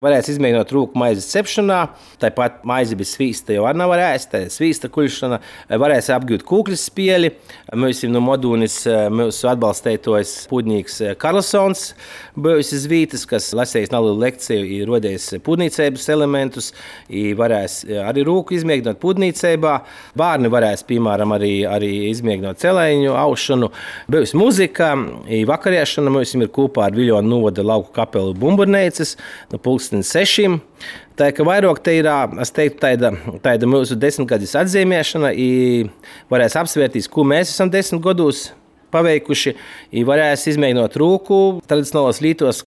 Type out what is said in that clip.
Varēs izmēģināt rūku maizes cepšanā, tāpat maizi bez svīsta jau nav ēst, tā ir svīsta kuļšana. Varēs apgūt kūkļus spieļi. Mēs no Modūnis mūsu atbalstētojs pūdnīgs Karlsons bijusi zvītas, kas lasējis nelielu lekciju, ir rodējis pūdnīcēbas elementus, varēs arī rūku izmēģināt pūdnīcēbā. Bārni varēs, piemēram, arī izmēģināt celēņu aušanu. Bijusi muzika, vakariešana mums ir kopā ar Viļonu novada lauku kapelu Bumburnēcas, no 6. Tā kā vairāk te ir, es teiktu, tāda mūsu 10-gadus atzīmēšana, varēs apsvērtīs, ko mēs esam 10 gados paveikuši, varēs izmēģināt rūku tradicionālos lītos,